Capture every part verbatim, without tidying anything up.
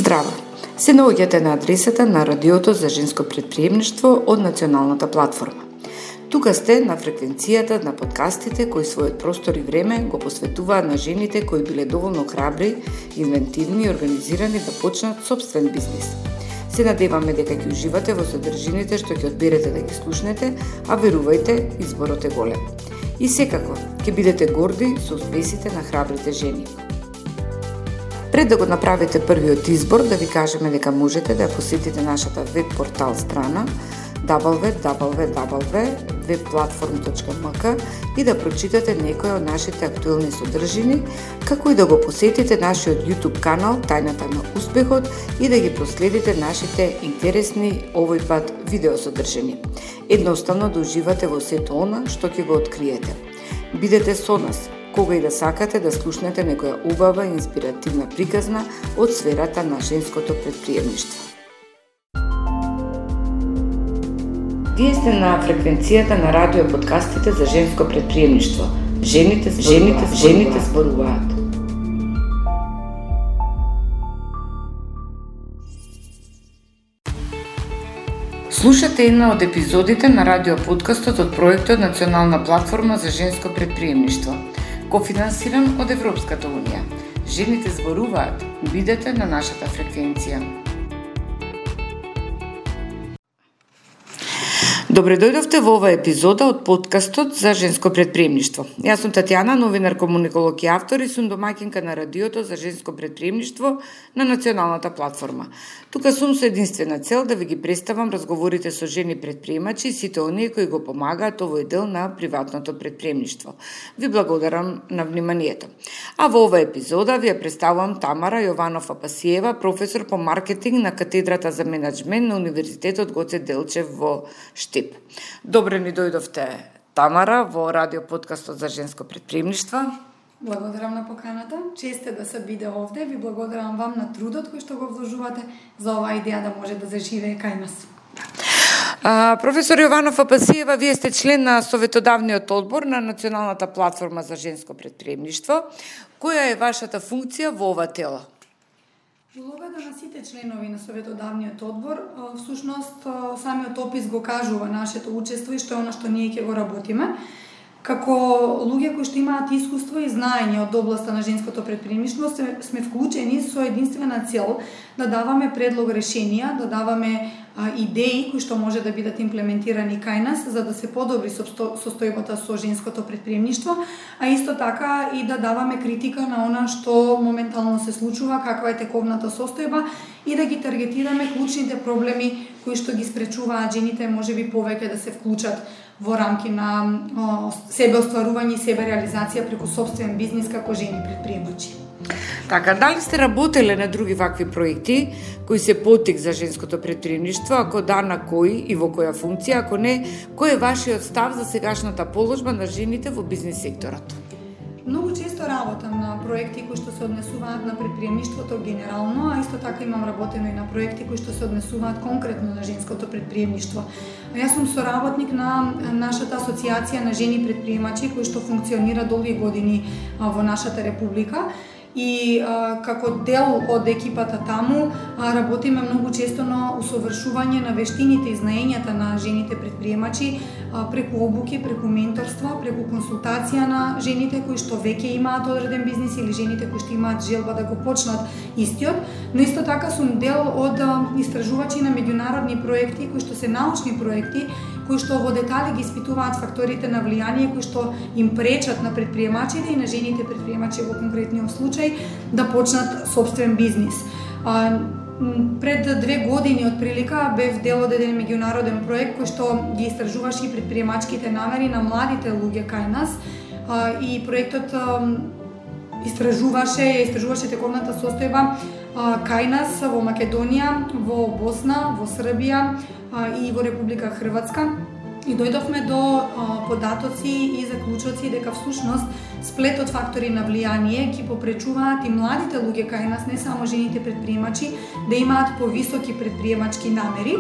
Здраво! Се наоѓате на адресата на Радиото за женско претприемништво од Националната платформа. Тука сте на фреквенцијата на подкастите кои својот простор и време го посветуваат на жените кои биле доволно храбри, инвентивни и организирани да почнат собствен бизнис. Се надеваме дека ќе уживате во содржините што ќе одберете да ги слушнете, а верувајте, изборот е голем. И секако, ќе бидете горди со успесите на храбрите жени. Пред да го направите првиот избор, да ви кажеме дека можете да посетите нашата веб портал страна дабл ю дабл ю дабл ю точка веб платформ точка ем ка и да прочитате некои од нашите актуелни содржини, како и да го посетите нашиот YouTube канал Тајната на успехот и да ги проследите нашите интересни овој пат видеосодржини. Едноставно да уживате во сето она што ќе го откриете. Бидете со нас кога и да сакате да слушнете некоја убава и инспиративна приказна од сферата на женското претприемништво. Вие сте на фреквенцијата на радио подкастите за женско претприемништво. Жените, жените, жените зборуваат. Слушате една од епизодите на радио подкастот од проектот Национална платформа за женско претприемништво, кофинансиран од Европската унија. Жените зборуваат. Бидете на нашата фреквенција. Добре дојдовте во оваа епизода од подкастот за женско претприемништво. Јас сум Татјана, новинар, комуниколог и автор и сум домаќинка на Радиото за женско претприемништво на Националната платформа. Тука сум со единствена цел да ви ги представам разговорите со жени претприемачи и сите оние кои го помагаат овој дел на приватното претприемништво. Ви благодарам на вниманието. А во оваа епизода ви ја представувам Тамара Јованов-Апасиева, професор по маркетинг на катедрата за менаџмент на Универзитетот Гоце Делчев во Штип. Добре ни дојдовте, Тамара, во радио подкастот за женско претприемништво. Благодарам на поканата. Чест е да се биде овде. Ви благодарам вам на трудот кој што го вложувате за оваа идеја да може да заживее кај нас. А, професор Јованов-Апасиева, вие сте член на Советодавниот одбор на Националната платформа за женско претприемништво. Која е вашата функција во ова тело? Улогата на сите членови на Советодавниот одбор, всушност самиот опис го кажува нашето учество и што е она што ние ќе го работиме. Како луѓе кои што имаат искуство и знаење од областа на женското претприемништво, сме вклучени со единствена цел да даваме предлог решенија, да даваме а, идеи кои што може да бидат имплементирани кај нас за да се подобри состојбата со женското претприемништво, а исто така и да даваме критика на она што моментално се случува, каква е тековната состојба и да ги таргетираме клучните проблеми кои што ги спречуваат жените можеби повеќе да се вклучат во рамки на о, себе остварување и себе реализација преку собствен бизнис како жени претприемачи. Така, дали сте работеле на други вакви проекти кои се потик за женското претприемништво, ако да, на кои и во која функција, ако не, кој е вашиот став за сегашната положба на жените во бизнис секторот? Многу често работам на проекти кои што се однесуваат на претприемништвото генерално, а исто така имам работено и на проекти кои што се однесуваат конкретно на женското претприемништво. Јас сум соработник на нашата асоциација на жени претприемачи кои што функционира долги години во нашата република. И а, како дел од екипата таму а, работиме многу често на усовршување на вештините и знаењата на жените претприемачи а, преку обуки, преку менторства, преку консултација на жените кои што веќе имаат одреден бизнис или жените кои што имаат желба да го почнат истиот, но исто така сум дел од а, истражувачи на меѓународни проекти кои што се научни проекти кои што во детали ги испитуваат факторите на влијание кои што им пречат на претприемачите и на жените претприемачи во конкретниот случај да почнат собствен бизнис. А, пред две години од прилика бев дел од еден меѓународен проект кој што ги истражуваше претприемачките намери на младите луѓе кај нас а, и проектот а, истражуваше, истражуваше тековната состојба а, кај нас во Македонија, во Босна, во Србија а, и во Република Хрватска. И дојдовме до а, податоци и заклучоци дека всушност сплетот фактори на влијание ги попречуваат и младите луѓе кај нас, не само жените претприемачи, да имаат повисоки претприемачки намери.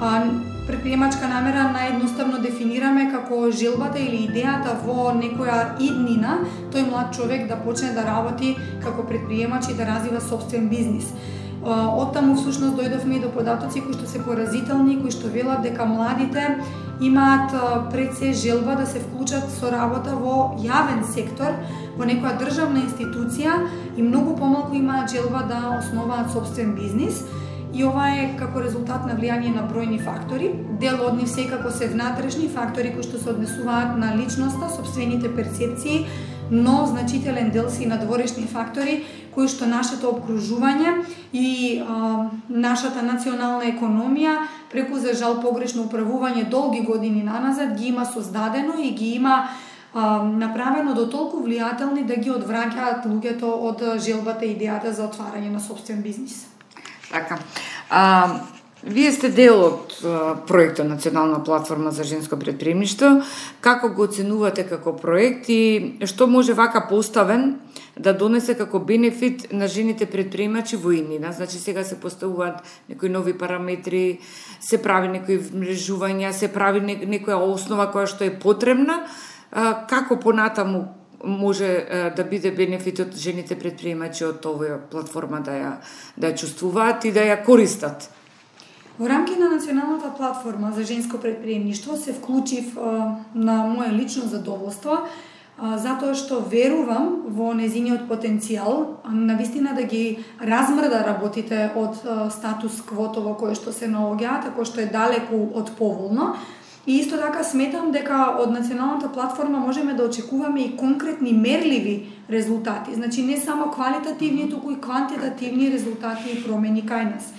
А, Предприемачка намера наједноставно дефинираме како желбата или идејата во некоја иднина тој млад човек да почне да работи како предприемач и да развива собствен бизнис. Оттаму всушност дојдовме и до податоци кои што се поразителни, кои што велат дека младите имаат пред се желба да се вклучат со работа во јавен сектор, во некоја државна институција и многу помалку имаат желба да основаат собствен бизнис. И ова е како резултат на влијание на бројни фактори. Дел од нив секако се внатрешни фактори кои што се однесуваат на личноста, собствените перцепции, но значителен дел се и надворешни фактори кои што нашето обкружување и а, нашата национална економија преку за жал погрешно управување долги години наназад ги има создадено и ги има а, направено до толку влијателни да ги одвраќаат луѓето од желбата и идејата за отварање на собствен бизнис. Така. А, вие сте дел од а, проектот Национална платформа за женско претприемништво. Како го оценувате како проект и што може вака поставен да донесе како бенефит на жените претприемачи во иднина? Значи сега се поставуваат некои нови параметри, се прави некои вмрежувања, се прави некоја основа која што е потребна. А, како понатаму може да биде бенефит од жените претприемачи од оваа платформа да ја да ја чувствуваат и да ја користат? Во рамки на Националната платформа за женско претприемништво се вклучив а, на мое лично задоволство, а, затоа што верувам во незиниот потенцијал, а, навистина да ги размрда работите од а, статус квото во кое што се наоѓаат, ако што е далеку од поволно. И исто така сметам дека од Националната платформа можеме да очекуваме и конкретни мерливи резултати. Значи не само квалитативни, туку и квантитативни резултати и промени кај нас.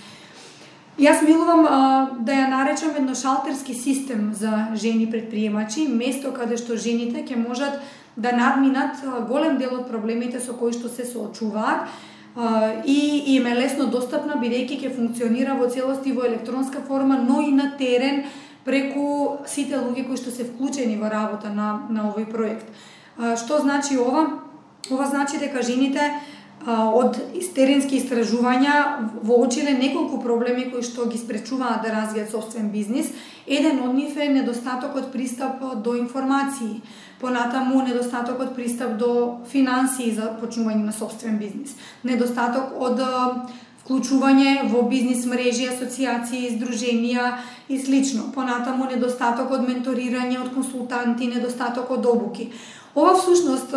Јас милувам а, да ја наречам едно шалтерски систем за жени предприемачи, место каде што жените ќе можат да надминат а, голем дел од проблемите со кои што се соочуваат а, и им е лесно достапна, бидејќи ќе функционира во целост и во електронска форма, но и на терен, преку сите луѓе кои што се вклучени во работа на, на овој проект. А, што значи ова? Ова значи дека жените а, од теренски истражувања воочиле неколку проблеми кои што ги спречуваат да развијат собствен бизнис. Еден од нив е недостатокот пристап до информации, понатаму недостатокот пристап до финансии за почнување на собствен бизнис, недостаток од вклучување во бизнис мрежи, асоциации, здруженија и слично. Понатаму недостаток од менторирање од консултанти, недостаток од обуки. Ова всушност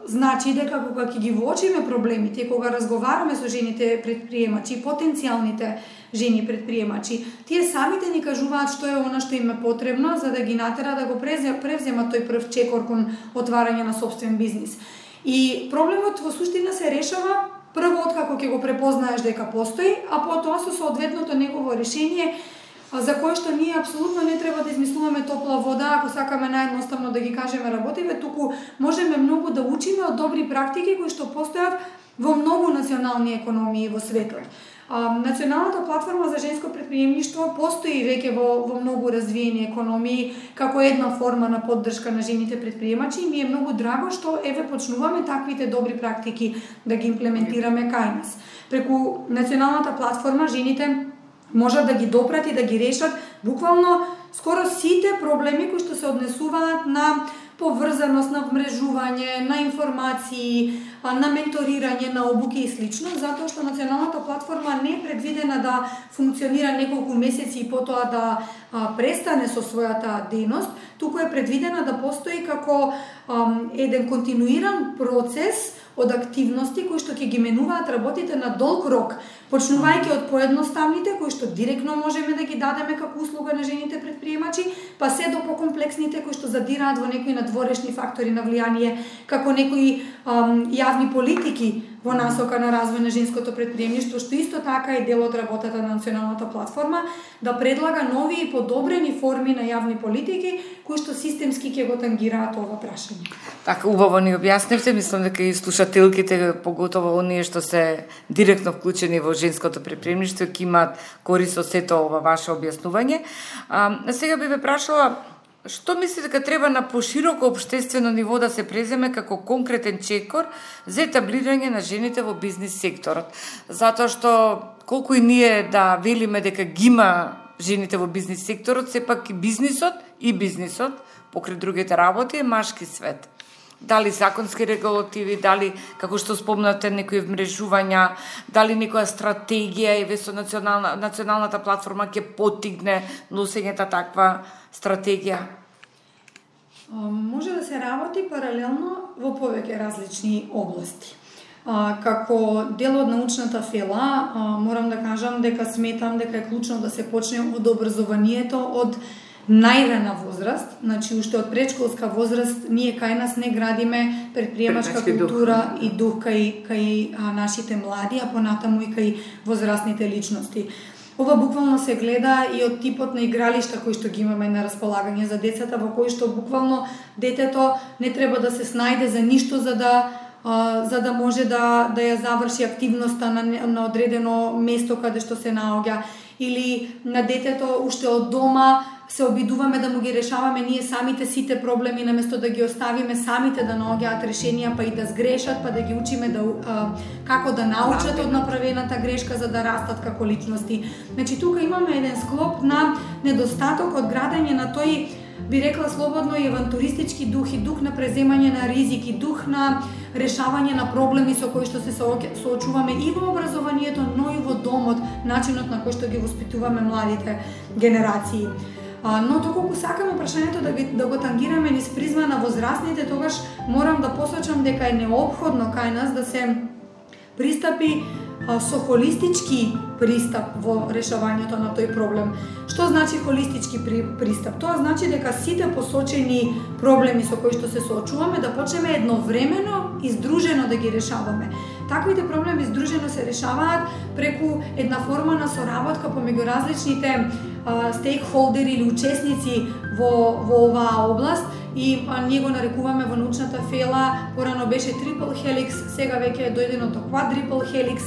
значи дека кога ќе ги воочиме проблемите, кога разговараме со жените предприемачи, потенцијалните жени предприемачи, тие самите ни кажуваат што е она што им е потребно за да ги натера да го превземат тој прв чекор кон отварање на собствен бизнис. И проблемот во суштина се решава прво откако ќе го препознаеш дека постои, а потоа со соодветното негово решение за кое што ние апсолутно не треба да измислуваме топла вода, ако сакаме наједноставно да ги кажеме работиве, туку можеме многу да учиме од добри практики кои што постојат во многу национални економии во светот. Националната платформа за женско претприемништво постои веќе во, во многу развиени економии како една форма на поддршка на жените претприемачи и ми е многу драго што еве почнуваме таквите добри практики да ги имплементираме кај нас. Преку Националната платформа жените можат да ги допрати, да ги решат буквално скоро сите проблеми кои што се однесуваат на поврзаност, на вмрежување, на информации, на менторирање, на обуки и слично, затоа што Националната платформа не е предвидена да функционира неколку месеци и потоа да а, престане со својата дејност, туку е предвидена да постои како а, еден континуиран процес од активности кои што ќе ги менуваат работите на долг рок, почнувајќи од поедноставните кои што директно можеме да ги дадеме како услуга на жените претприемачи, па се до покомплексните кои што задираат во некои надворешни фактори на влијание, како некои ам, јавни политики во насока на развој на женското претприемништво, што исто така е дел од работата на Националната платформа, да предлага нови и подобрени форми на јавни политики кои што системски ќе го тангираат ова прашање. Така, убаво ни објаснивте, мислам дека и слушателките, поготово оние што се директно вклучени во женското претприемништво, ќе имаат корист од сето ова ваше објаснување. А, сега би ве прашала, што мислите дека треба на пошироко општествено ниво да се преземе како конкретен чекор за етаблирање на жените во бизнис секторот? Затоа што колку и ние да велиме дека ги има жените во бизнис секторот, сепак и бизнисот и бизнисот, покрај другите работи, е машки свет. Дали законски регулативи, дали, како што спомнате, некои вмрежувања, дали некоја стратегија и весо национална, националната платформа ќе поттикне носењето таква стратегија? Може да се работи паралелно во повеќе различни области. А, како дел од научната фела, а, морам да кажам дека сметам дека е клучно да се почне од образованието од најрана возраст, значи уште од предшколска возраст ние кај нас не градиме предприемачка култура дух. и дух кај, кај а, нашите млади, а понатаму и кај возрастните личности. Ова буквално се гледа и од типот на игралишта кои што ги имаме на располагање за децата, во кои што буквално детето не треба да се снајде за ништо за да Uh, за да може да, да ја заврши активноста на, на одредено место каде што се наоѓа, или на детето уште од дома се обидуваме да му ги решаваме ние самите сите проблеми, наместо да ги оставиме самите да наоѓаат решенија, па и да сгрешат, па да ги учиме да, uh, како да научат од направената грешка за да растат како личности. Значи тука имаме еден склоп на недостаток од градење на тој, би рекла слободно, и авантуристички дух и дух на преземање на ризики, дух на решавање на проблеми со кои што се соочуваме и во образованието, но и во домот, начинот на кој што ги воспитуваме младите генерации. А, но доколку сакаме прашањето да, ги, да го тангираме низ призма на возрастните, тогаш морам да посочам дека е неопходно кај нас да се пристапи а, со холистички пристап во решавањето на тој проблем. Што значи холистички пристап? Тоа значи дека сите посочени проблеми со кои што се соочуваме да почнеме едновремено и здружено да ги решаваме. Таквите проблеми здружено се решаваат преку една форма на соработка помеѓу различните стейкхолдери или учесници во, во оваа област, и а, ние го нарекуваме во научната фела, порано беше трипл хеликс, сега веќе е дојдено до квадрипл хеликс.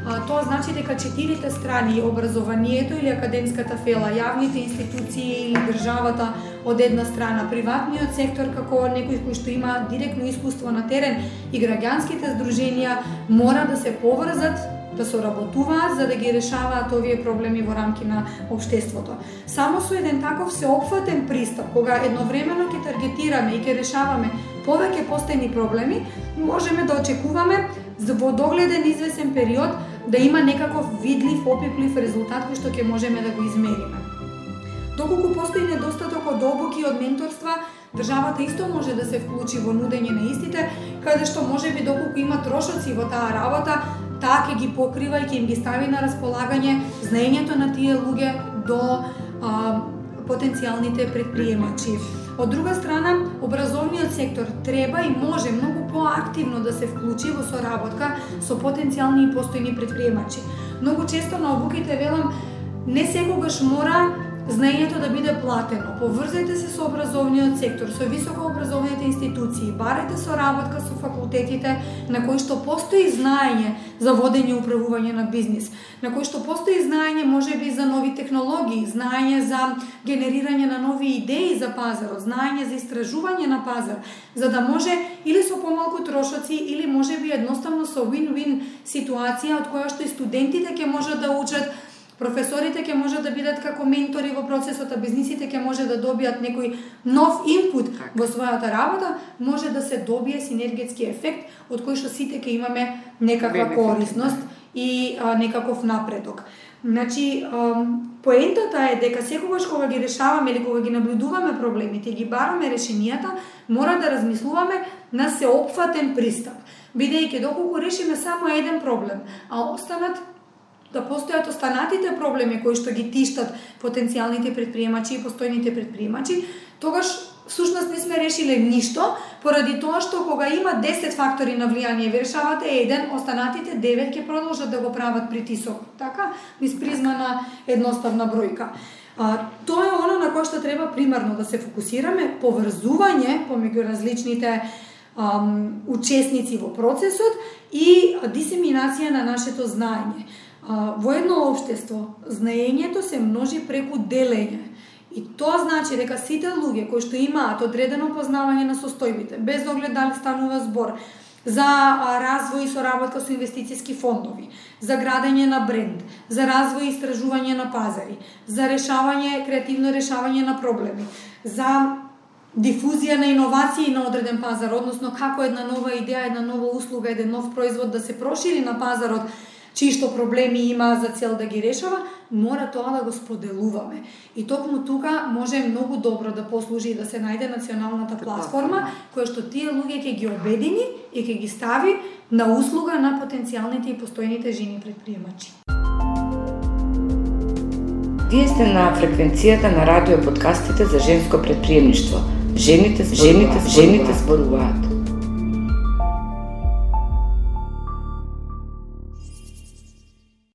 А, тоа значи дека четирите страни, образованието или академската фела, јавните институции или државата од една страна, приватниот сектор како некој кој што има директно искуство на терен и граѓанските здруженија мора да се поврзат, да соработуваат за да ги решаваат овие проблеми во рамки на општеството. Само со еден таков сеопфатен пристап, кога едновремено ќе таргетираме и ќе решаваме повеќе постојни проблеми, можеме да очекуваме во догледен извесен период да има некаков видлив, опиплив резултат кој што ќе можеме да го измериме. Доколку постои недостаток од обуки и од менторства, државата исто може да се вклучи во нудење на истите, каде што можеби доколку има трошоци во таа работа, таа ќе ги покрива и ќе им ги стави на располагање знаењето на тие луѓе до а, потенцијалните предприемачи. Од друга страна, образовниот сектор треба и може многу поактивно да се вклучи во соработка со потенцијални и постојни предприемачи. Многу често на обуките велам, не секогаш мора знаењето да биде платено. Поврзајте се со образовниот сектор, со високообразовните институции, барете соработка со факултетите на кои што постои знаење за водење и управување на бизнис, на кои што постои знаење можеби за нови технологии, знаење за генерирање на нови идеи за пазарот, знаење за истражување на пазар, за да може или со помалку трошоци, или можеби едноставно со win-win ситуација од која што и студентите ќе можат да учат, професорите ќе можат да бидат како ментори во процесот, а бизнисите ќе може да добијат некој нов инпут во својата работа, може да се добие синергетски ефект од кој што сите ќе имаме некаква корисност и а, некаков напредок. Значи, поентата е дека секогаш кога ги решаваме или кога ги наблюдуваме проблемите и ги бараме решенијата, мора да размислуваме на сеопфатен пристап, бидејќи доколку решиме само еден проблем, а останат да постојат останатите проблеми кои што ги тиштат потенцијалните предприемачи и постојните предприемачи, тогаш всушност не сме решиле ништо, поради тоа што кога има десет фактори на влијание, ви решавате еден, останатите девет ќе продолжат да го прават притисок, така, низ призма на едноставна бројка. А, тоа е оно на кое што треба примарно да се фокусираме, поврзување помеѓу различните ам, учесници во процесот и дисеминација на нашето знаење. Во едно општество, знаењето се множи преку делење. И тоа значи дека сите луѓе кои што имаат одредено познавање на состојбите, без оглед дали станува збор за развој и соработка со инвестицијски фондови, за градење на бренд, за развој и истражување на пазари, за решавање, креативно решавање на проблеми, за дифузија на иновации на одреден пазар, односно како една нова идеја, една нова услуга, еден нов производ да се прошири на пазарот, чии што проблеми има за цел да ги решава, мора тоа да го споделуваме. И токму тука може многу добро да послужи и да се најде националната платформа, која што тие луѓе ќе ги обедини и ќе ги стави на услуга на потенцијалните и постојните жени предприемачи. Вие сте на фреквенцијата на радио подкастите за женско предприемништво. Жените, жените, жените зборуваат.